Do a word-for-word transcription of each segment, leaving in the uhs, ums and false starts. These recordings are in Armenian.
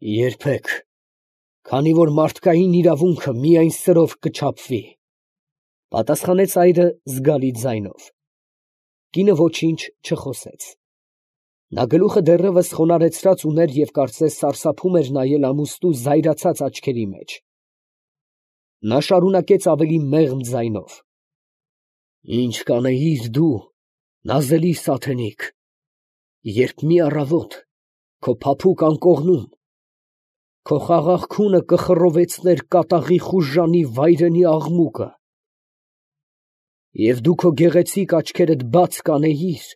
Երբեք, քանի որ մարդկային իրավունքը միայն սրով կչափվի, ֊ պատասխանեց այրը զգալի ձայնով։ Կինը ոչինչ չխոսեց. նա գլուխը դեռևս խոնարհեցրած ուներ և կարծես սարսափում էր նայել ամուստու զայրացած աչքերի մեջ։ Նա շարունակեց ավելի մեղմ ձայնով. «Ի՞նչ կանեիր դու, նազելի սատենիկ, երբ մի առավոտ քո փափուկ անկողնում քո խաղաղ քունը կխռովեցներ կատաղի խուժանի վայրենի աղմուկը, և դու քո գեղեցիկ աչքերդ բաց կանեիր,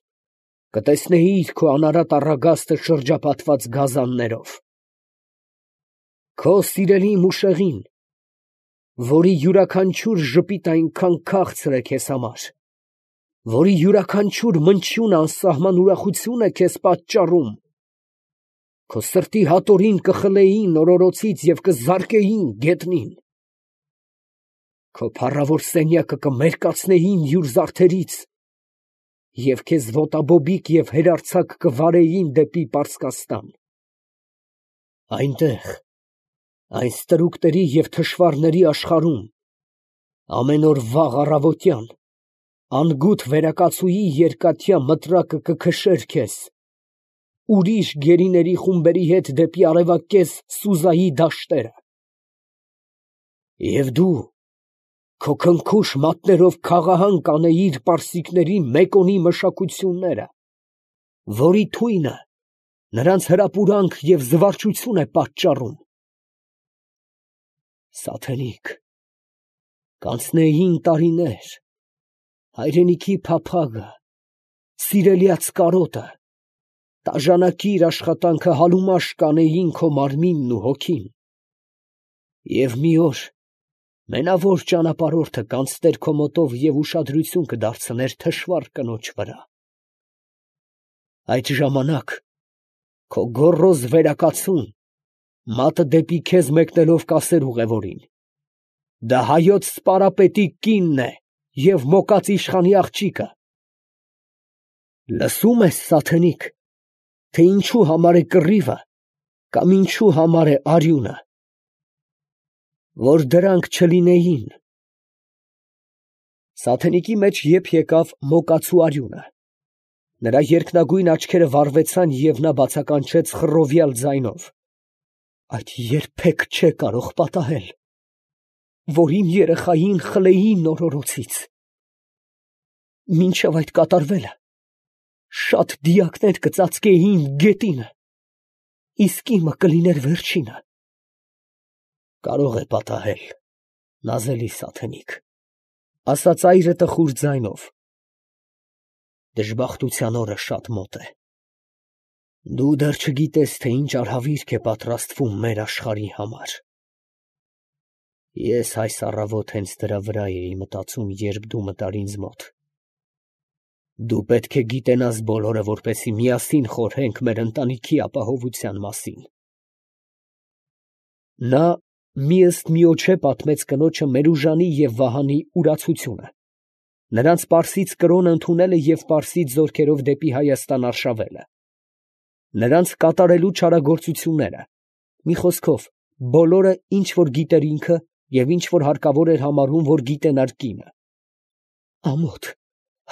կտեսնեիր քո անարատ առագաստը շրջապատված գազաններով, քո սիրելի մուշեղին, որի յուրաքանչյուր ժպիտ այնքան քաղցր է քեզ համար, որի յուրաքանչյուր մնչյունը անսահման ուրախություն է քեզ պատճառում, քո սրտի հատորին կխլեին օրորոցից և կզարկեին գետնին, քո փառավոր սենյակը կմերկացնեին յուր զարդերից և քեզ ոտաբոբիկ և հերարձակ կվարեին դեպի Պարսկաստան… Այնտեղ, այն ստրուկների և թշվառների աշխարհում, ամեն օր վաղ առավոտյան անգութ վերակացուի երկաթյա մտրակը կքշեր քեզ ուրիշ գերիների խումբերի հետ դեպի արևակեզ Սուզայի դաշտերը… Եվ դու քո քնքուշ մատներով քաղահան կանեիր պարսիկների Մեկոնի մշակությունները, որի թույնը նրանց հրապուրանք և զվարճություն է պատճառում… Սատենիկ, կանցնեին տարիներ, հայրենիքի փափագը, սիրելյաց կարոտը, տաժանակիր աշխատանքը համուաշ կանեին քո մարմինն ու հոգին… Եվ մի օր մենավոր ճանապարհորդը կանցներ քո մոտով և ուշադրություն կդարձներ թշվառ կնոջ վրա… Այդ ժամանակ քո գոռոզ վերակացուն մատը դեպի քեզ մեկնելով կասեր ուղևորին. դա հայոց սպարապետի կինն է և մոկած իշխանի աղջիկը… Լսո՞ւմ ես, սատենիկ, թե ինչու համար է կռիվը կամ ինչու համար է արյունը… Որ դրանք չլինեին… Սատենիկի մեջ եփ եկավ մոկացու արյունը… նրա երկնագույն աչքերը վառվեցան, և նա բացականչեց խռովյալ ձայնով. այդ երբեք չէ կարող պատահել, որ իմ երեխային խլեին օրորոցից… Մինչև այդ կատարվելը շատ դիակներ կծածկեին գետինը, իսկ իմը կլիներ վերջինը… Կարող է պատահել, նազելի սատենիկ, ֊ ասաց այրը տխուր ձայնով. դժբախտության օրը շատ մոտ է… Դու դեռ չգիտես, թե ինչ արհավիրք է պատրաստվում մեր աշխարհի համար… Ես այս առավոտ հենց դրա վրա էի մտածում, երբ դու մտար ինձ մոտ… Դու պետք է գիտենաս բոլորը, որպեսզի միասին խորհենք մեր ընտանիքի ապահովության մասին… Նա մի ըստ միոջե պատմեց կնոջը Մերուժանի և Վահանի ուրացությունը, նրանց պարսից կրոնը ընդունելը և պարսից զորքերով դեպի Հայաստան արշավելը, նրանց կատարելու չարագործությունները, մի խոսքով, բոլորը, ինչ որ գիտեր ինքը և ինչ որ հարկավոր էր համարում, որ գիտենար կինը… ֊ Ամոթ,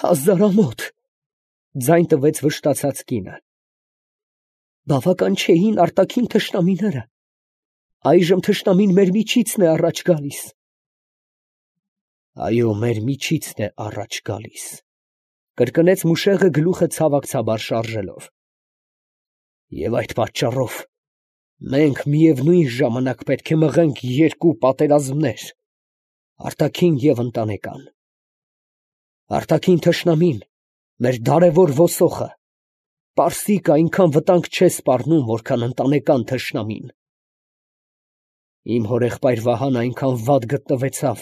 հազար ամոթ, ֊ ձայն տվեց վշտացած կինը… Բավական չէին արտաքին թշնամիները, այժմ թշնամին մեր միջիցն է առաջ գալիս… ֊ Այո, մեր միջիցն է առաջ գալիս… ֊ կրկնեց մուշեղը գլուխը ցավակցաբար շարժելով… և այդ պատճառով մենք միևնույն ժամանակ պետք է մղենք երկու պատերազմներ, արտաքին և ընտանեկան… Արտաքին թշնամին, մեր դարավոր ոսոխը, պարսիկը այնքան վտանգ չէ սպառնում, որքան ընտանեկան թշնամին… Իմ հորեղբայր Վահանը այնքան վատ գտնվեցավ,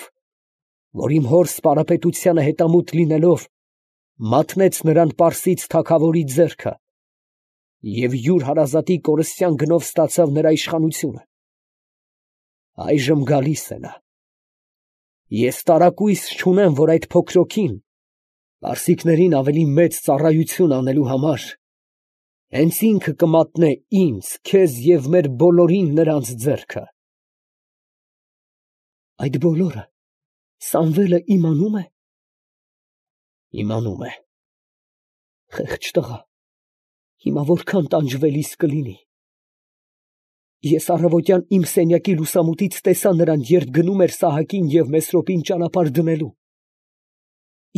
որ իմ հոր սպարապետությանը հետամուտ լինելով, մատնեց նրան պարսից թագավորի ձեռքը և յուր հարազատի կորստյան գնով ստացավ նրա իշխանությունը… Այժմ գալիս է նա… Ես տարակույս չունեմ, որ այդ փոքրոքին, պարսիկներին ավելի մեծ ծառայություն անելու համար, Հենց ինքը կմատնե ինձ, քեզ և մեր բոլորին նրանց ձեռքը։ Այդ բոլորը Սամվելը իմանո՞ւմ է։ Իմանում է։ Խեղճ տղա, հիմա որքան տանջվելիս կլինի։ Ես առավոտյան իմ սենյակի լուսամուտից տեսա նրան, երբ գնում էր Սահակին և Մեսրոպին ճանապարհ դնելու։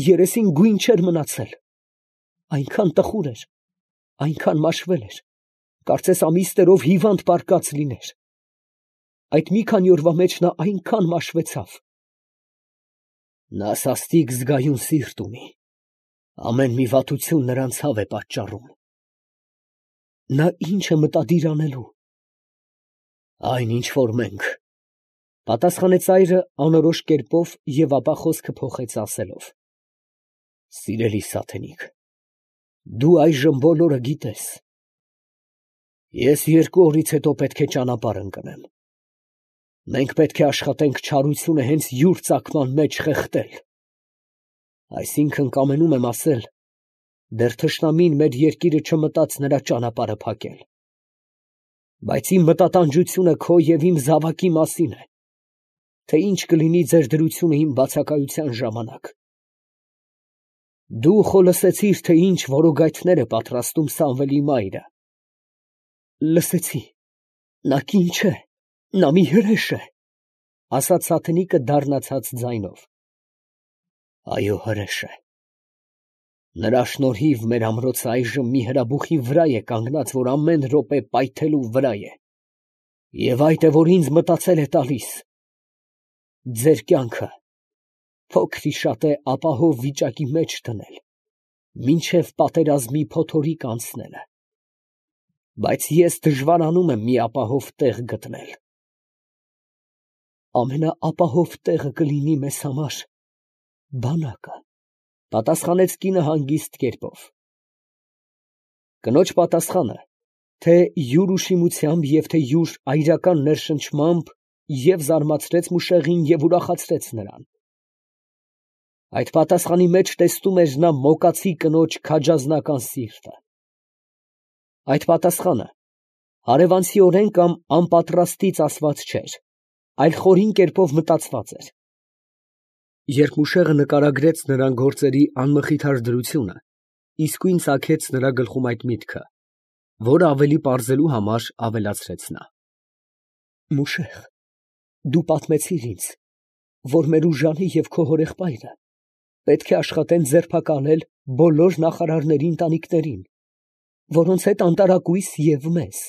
Երեսին գույն չէր մնացել, այնքան տխուր էր, այնքան մաշվել էր, կարծես ամիսներով հիվանդ պառկած լիներ։ Այդ մի քանի օրվա մեջ նա այնքան մաշվեցավ։ Նա սաստիկ զգայուն սիրտ ունի, ամեն մի վատություն նրան ցավ է պատճառում։ Նա ի՞նչ է մտադիր անելու։ Այն, ինչ որ մենք, ֊ պատասխանեց այրը անորոշ կերպով և ապա խոսքը փոխեց ասելով. Սիրելի սատենիկ, դու այժմ բոլորը գիտես։ Ես երկու օրից հետո պետք է ճանապարհ ընկնեմ։ Մենք պետք է աշխատենք չարությունը հենց յուր ծագման մեջ խեղդել։ Այսինքն կամենում եմ ասել, դեռ թշնամին մեր երկիրը չմտած նրա ճանապարհը փակել։ Բայց իմ մտատանջությունը քո և իմ զավակի մասին է, թե ինչ կլինի ձեր դրությունը իմ բացակայության ժամանակ։ Դու խո լսեցիր, թե ինչ որոգայթներ է պատրաստում Սամվելի մայրը։ Լսեցի, նա կին չէ, նա մի հրեշ է, ֊ ասաց սատենիկը դառնացած ձայնով։ Այո, հրեշ է։ Նրա շնորհիվ մեր ամրոցը այժմ մի հրաբուխի վրա է կանգնած, որ ամեն րոպե պայթելու վրա է, և այդ է, որ ինձ մտածել է տալիս ձեր կյանքը փոքր-ի-շատե ապահով վիճակի մեջ դնել, մինչև պատերազմի փոթորիկ անցնելը։ Բայց ես դժվարանում եմ մի ապահով տեղ գտնել։ Ամենաապահով տեղը կլինի մեզ համար բանակը, ֊ պատասխանեց կինը հանգիստ կերպով։ Կնոջ պատասխանը, թե յուր ուշիմությամբ և թե յուր այրական ներշնչմամբ, և զարմացրեց մուշեղին և ուրախացրեց նրան։ Այդ պատասխանի մեջ տեսնում էր նա մոկացի կնոջ քաջազնական սիրտը։ Այդ պատասխանը հարևանցիորեն կամ անպատրաստից ասված չէր, այլ խորին կերպով մտածված էր։ Երբ մուշեղը նկարագրեց նրան գործերի անմխիթար դրությունը, իսկույն ծագեց նրա գլխում այդ միտքը, որը ավելի պարզելու համար ավելացրեց նա. Մուշեղ, դու պատմեցիր ինձ, որ մեր ուժանը և քո հորեղբայրը պետք է աշխատեն ձերբակալել բոլոր նախարարների ընտանիքներին, որոնց հետ անտարակույս և մեզ։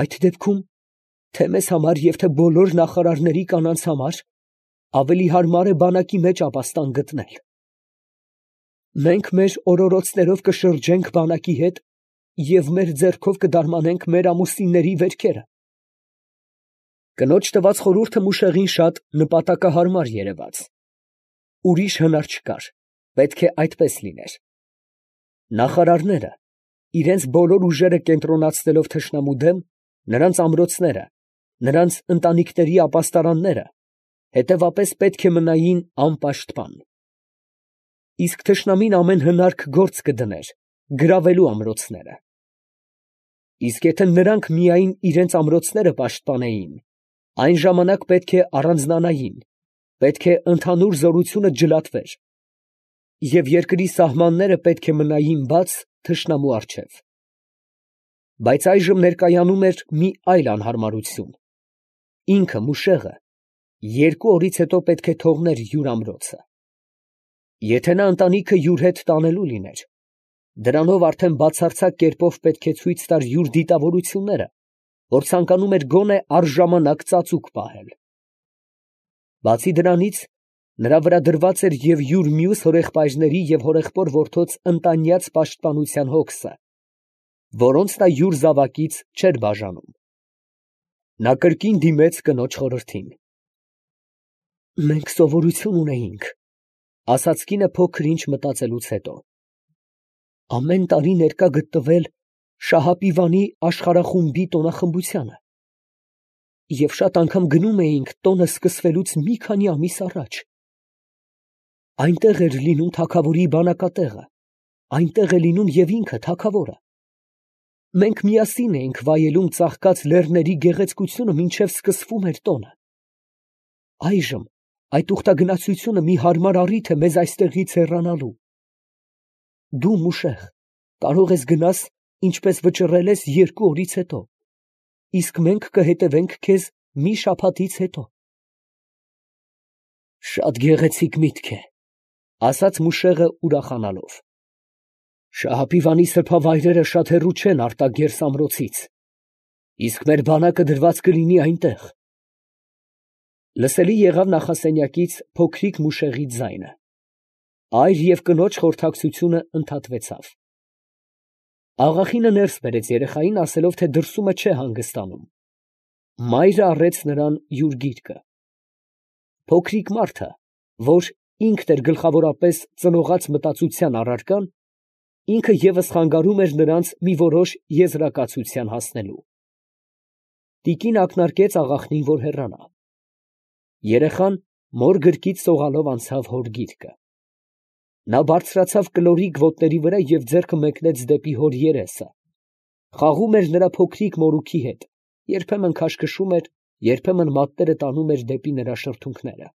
Այդ դեպքում թե մեզ համար և թե բոլոր նախարարների կանանց համար ավելի հարմար է բանակի մեջ ապաստան գտնել։ Մենք մեր օրորոցներով կշրջենք բանակի հետ և մեր ձեռքով կդարմանենք մեր ամուսինների վերքերը։ Կնոջ տված խորհուրդը մուշեղին շատ նպատակահարմար երևաց։ Ուրիշ հնար չկար, պետք է այդպես լիներ։ Նախարարները, իրենց բոլոր ուժերը կենտրոնացնելով թշնամու դեմ, նրանց ամրոցները, նրանց ընտանիքների ապաստարանները, հետևապես պետք է մնային անպաշտպան։ Իսկ թշնամին ամեն հնարք գործ կդներ գրավելու ամրոցները։ Իսկ եթե նրանք միայն իրենց ամրոցները պաշտպանեին, այն ժամանակ պետք է առանձնանային, պետք է ընդհանուր զորությունը ջլատվեր, և երկրի սահմանները պետք է մնային բաց թշնամու առջև։ Բայց այժմ ներկայանում էր մի այլ անհարմարություն. ինքը մուշեղը երկու օրից հետո պետք է թողներ յուր ամրոցը։ Եթե նա ընտանիքը յուր հետ տանելու լիներ, դրանով արդեն բացարձակ կերպով պետք է ցույց տար յուր դիտավորությունները, որ ցանկանում էր գոնե առժամանակ ծածուկ պահել։ Բացի դրանից, նրա վրա դրված էր և յուր մյուս հորեղբայրների և հորեղբոր որդոց ընտանյաց պաշտպանության հոգսը, որոնց նա յուր զավակից չէր բաժանում։ Նա կրկին դիմեց կնոջ խորհրդին։ Մենք սովորություն ունեինք, ֊ ասաց կինը փոքր ինչ մտածելուց հետո, ամեն տարի ներկա գտնվել Շահապիվանի աշխարհախումբի տոնախմբությանը, և շատ անգամ գնում էինք տոնը սկսվելուց մի քանի ամիս առաջ։ Այնտեղ էր լինում թագավորի բանակատեղը, այնտեղ է լինում և ինքը թագավորը։ Մենք միասին էինք վայելում ծաղկած լեռների գեղեցկությունը, մինչև սկսվում էր տոնը. այժմ այդ ուխտագնացությունը մի հարմար առիթ է մեզ այստեղից հեռանալու. դու մուշեղ կարող ես գնաս, ինչպես վճռել ես երկու օրից հետո, իսկ մենք կհետևենք քեզ մի շաբաթից հետո։ Շատ գեղեցիկ միտք է, ասաց մուշեղը ուրախանալով։ Շահապիվանի սրբավայրերը շատ հեռու չեն Արտագերս ամրոցից, իսկ մեր բանակը դրված կլինի այնտեղ։ Լսելի եղավ նախասենյակից փոքրիկ մուշեղի ձայնը։ Այր և կնոջ խորհրդակցությունը ընդհատվեցավ։ Աղախինը ներս բերեց երեխային, ասելով, թե դրսումը չէ հանգստանում։ Մայրը առեց նրան յուր գիրկը։ Փոքրիկ մարդը, որ ինքն էր գլխավորապես ծնողած մտածության առարկան, ինքը ևս խանգարում էր նրանց մի որոշ եզրակացության հասնելու։ Տիկին ակնարկեց աղախնին, որ հեռանա։ Երեխան մոր գրկից սողալով անցավ հոր գիրկը։ Նա բարձրացավ կլորիկ ոտների վրա և ձեռքը մեկնեց դեպի հոր երեսը, խաղում էր նրա փոքրիկ մորուքի հետ, երբեմն քաշքշում էր, երբեմն մատները տանում էր դեպի նրա շրթունքները։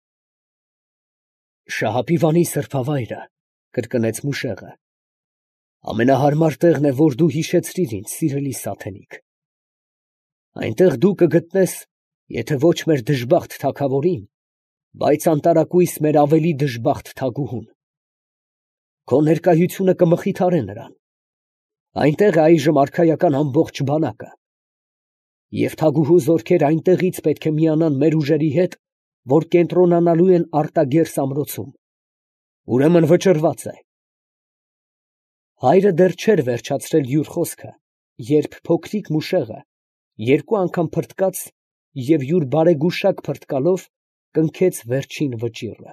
Շահապիվանի սրբավայրը, կրկնեց մուշեղը, ամենահարմար տեղն է, որ դու հիշեցրիր ինձ, սիրելի սատենիկ։ Այնտեղ դու կգտնես, եթե ոչ մեր դժբախտ թագավորին, բայց անտարակույս մեր ավելի դժբախտ թագուհուն։ Քո ներկայությունը կմխիթարե նրան։ Այնտեղ է այժմ արքայական ամբողջ բանակը։ Եվ թագուհու զորքերը այնտեղից պետք է միանան մեր ուժերի հետ, որ կենտրոնանալու են Արտագերս ամրոցում։ Ուրեմն վճռված է։ Հայրը դեռ չէր վերջացրել յուր խոսքը, երբ փոքրիկ մուշեղը երկու անգամ փրտկաց և յուր բարեգուշակ փրտկալով կնքեց վերջին վճիռը։